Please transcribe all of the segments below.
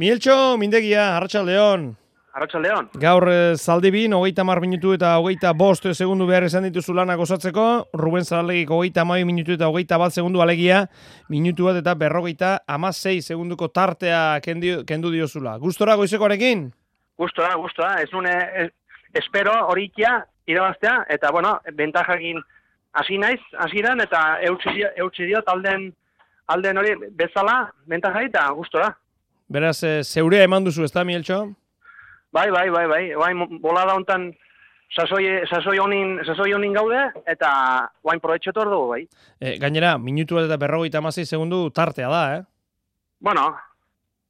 Mieltxo, mindegia, Arratsaldeon. Arratsaldeon. Gaur Zaldibin, 30 minutu eta 25 segundu behar esan dituzu lanak osatzeko. Ruben Zaralegik 32 minutu eta 21 segundu alegia. Minutu bat eta 56 segunduko tartea kendu diozula. Gustora goizekoarekin? Gustora. Ez nune espero horikia irabaztea. Eta, bueno, bentajakin hasi naiz, hasieran eta eutsi dio alden hori bezala bentajai eta gustora. Beraz, zeurea eman duzu, ez da, Mieltxo? Bai. Bolada hontan sasoi honin gaude, eta guain proetxetor dugu, bai. Gainera, minutu bat eta 56 segundu tartea da, Bueno,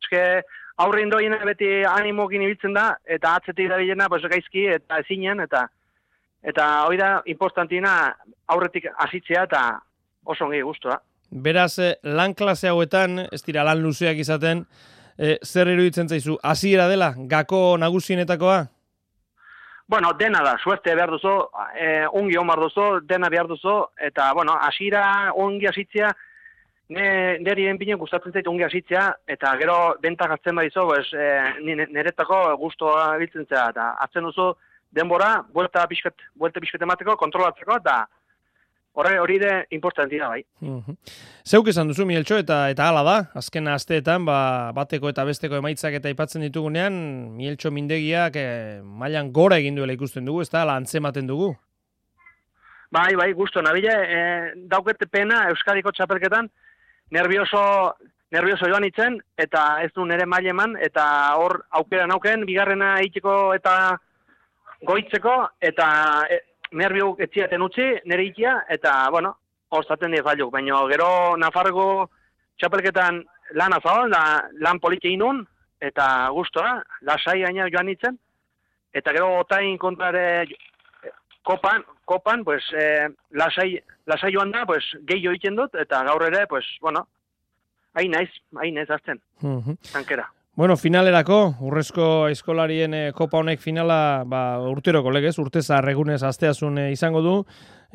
eske aurrin doien beti animokin ibiltzen da, eta atzetik da bilena, pues, gaizki eta ezinen, eta hori da importantina aurretik hasitzea eta oso ongi gustua. Beraz, lan klase hauetan, ez dira lan luzeak izaten, zer iruditzen zaizu, hasiera dela, gako nagusienetakoa? Bueno, dena da, suerte behar duzu, ongi omar duzu, dena behar duzu, eta, bueno, hasiera ongi hasitzea, niri enpinen gustatzen zait ongi hasitzea, eta gero bentak hartzen badizu, niretako gustoa biltzen zera, eta hartzen duzu denbora, buelta pixket emateko, kontrolatzeko, eta hori de importantia bai. Zeuk esan duzu, Mieltxo, eta hala da, azken asteetan, bateko eta besteko emaitzak eta aipatzen ditugunean, Mieltxo mindegiak mailan gora egin duela ikusten dugu, ez da, antzematen dugu? Bai, gusto nabile, dauket pena Euskadiko txapelketan, nervioso joan itzen, eta ez du nire maile eman, eta hor aukera nauken, bigarrena egiteko eta goitzeko, eta nerviok etziaten utzi, nire ikia, eta, bueno, horzaten dira falluk. Baina gero Nafargo txapelketan lan azabal, lan politxe inun, eta gustora, lasai gaina joan nintzen, eta gero otain kontrare kopan, pues, lasai joan da, pues, gehiago egiten dut, eta gaur ere, pues, bueno, hain naiz azten, tankera. Bueno, finalerako, urrezko eskolarien kopa honek finala urteroko legez, urteza egunez asteazun izango du,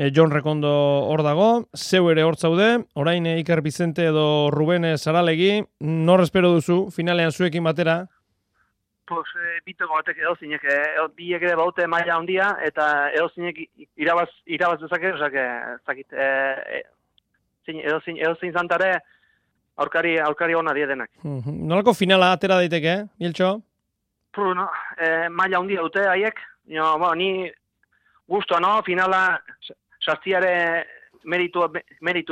Jon Rekondo hor dago, zeu ere hor zaude, orain Iker Bizente edo Ruben Zaralegi, nor espero duzu, finalean zuekin batera? Pues, bitoko batek edozinek, biek ere baute maila handia, eta edozinek irabaz dezake, zakit, edozin zantare, aurkari hona diedenak. Nolako finala atera daiteke, Mieltxo? Maila handia dute haiek. Ni guztua, finala sartziare meritu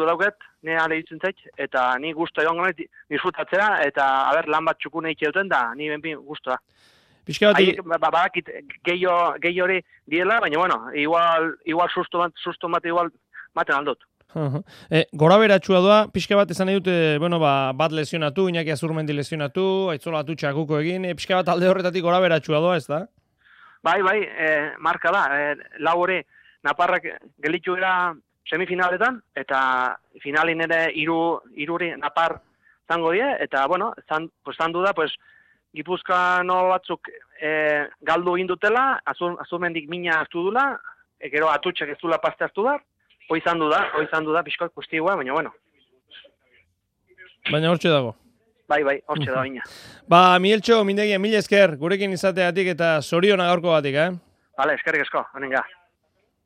dauket, nire ale ditzen zait, eta ni guztua joan gana disfrutatzea, eta lan bat txukune itxe duten, da ni benpin guztua. Badakit gehi hori diela, baina, bueno, igual susto bat igual maten aldot. Gora beratxua doa, pixka bat esan nahi dute, bat lesionatu, Iñaki Azurmendi lesionatu, Aitzola Atutxakuko egin, pixka bat alde horretatik gora beratxua doa, ez da? Bai, marka da, lau hori, Naparrak gelitxu gara semifinaletan, eta finalin ere iruri Napar zango die, eta, bueno, zandu da, Gipuzkoano batzuk galdu indutela, Azurmendik mina hartu dula, gero Atutxak ez dula paste hartu da, Hoizan du da, pixkoak guztiua, baina, bueno. Baina hortxe dago. Bai, hortxe da, baina. Mieltxo, mindegia, mila esker, gurekin izateatik eta zoriona gaurko batik, Vale, eskerrik asko, honenga.